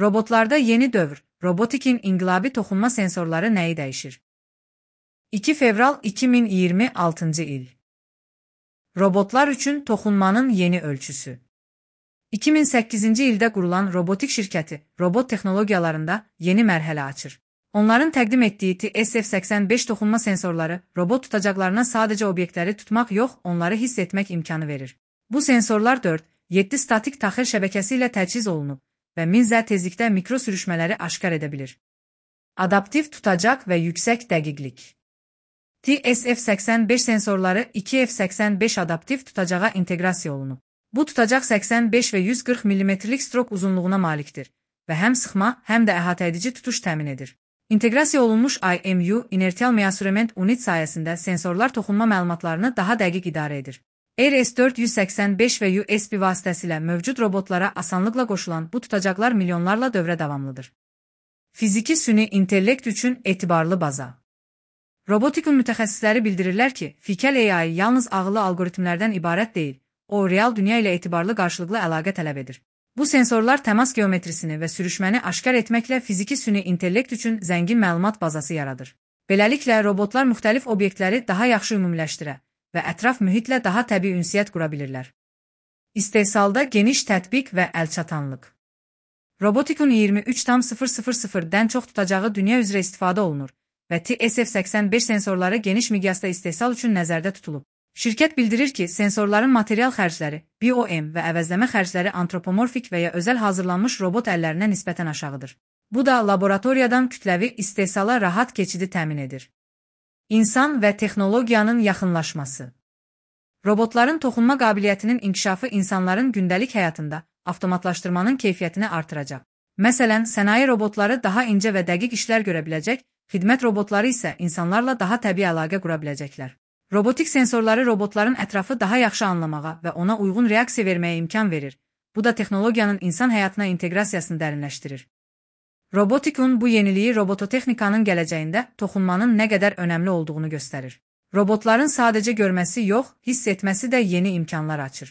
Robotlarda yeni dövr, robotikin inqilabi toxunma sensorları nəyi dəyişir? 2 fevral 2026 il. Robotlar üçün toxunmanın yeni ölçüsü. 2008-ci ildə qurulan robotik şirkəti robot texnologiyalarında yeni mərhələ açır. Onların təqdim etdiyi TSF85 toxunma sensorları robot tutacaqlarına sadəcə obyektləri tutmaq yox, onları hiss etmək imkanı verir. Bu sensorlar 4-7 statik taxıl şəbəkəsi ilə təchiz olunub və 1000 Z tezlikdə mikro sürüşmələri aşkar edə bilir. Adaptiv tutacaq və yüksək dəqiqlik. TSF85 sensorları 2F85 adaptiv tutacağa inteqrasiya olunub. Bu tutacaq 85 və 140 mm-lik strok uzunluğuna malikdir və həm sıxma, həm də əhatəedici tutuş təmin edir. İnteqrasiya olunmuş IMU, inertial measurement unit sayəsində sensorlar toxunma məlumatlarını daha dəqiq idarə edir. RS485 və USB vasitəsilə mövcud robotlara asanlıqla qoşulan bu tutacaqlar milyonlarla dövrə davamlıdır. Fiziki süni intellekt üçün etibarlı baza. Robotikun mütəxəssisləri bildirirlər ki, fikəl AI yalnız ağıllı algoritmlərdən ibarət deyil, o real dünya ilə etibarlı qarşılıqlı əlaqə tələb edir. Bu sensorlar təmas geometrisini və sürüşməni aşkar etməklə fiziki süni intellekt üçün zəngin məlumat bazası yaradır. Beləliklə, robotlar müxtəlif obyektləri daha yaxşı ümumiləşdirə və ətraf mühitlə daha təbii ünsiyyət qura bilirlər. İstehsalda geniş tətbiq və əlçatanlıq. Robotikun 23,000-dən çox tutacağı dünya üzrə istifadə olunur və TSF85 sensorları geniş miqyasda istehsal üçün nəzərdə tutulub. Şirkət bildirir ki, sensorların material xərcləri, BOM və əvəzləmə xərcləri antropomorfik və ya özəl hazırlanmış robot əllərinə nisbətən aşağıdır. Bu da laboratoriyadan kütləvi istehsala rahat keçidi təmin edir. İnsan və texnologiyanın yaxınlaşması. Robotların toxunma qabiliyyətinin inkişafı insanların gündəlik həyatında avtomatlaşdırmanın keyfiyyətini artıracaq. Məsələn, sənaye robotları daha incə və dəqiq işlər görə biləcək, xidmət robotları isə insanlarla daha təbii əlaqə qura biləcəklər. Robotik sensorları robotların ətrafı daha yaxşı anlamağa və ona uyğun reaksiya verməyə imkan verir. Bu da texnologiyanın insan həyatına inteqrasiyasını dərinləşdirir. Robotikun bu yeniliyi robototexnikanın gələcəyində toxunmanın nə qədər önəmli olduğunu göstərir. Robotların sadəcə görməsi yox, hiss etməsi də yeni imkanlar açır.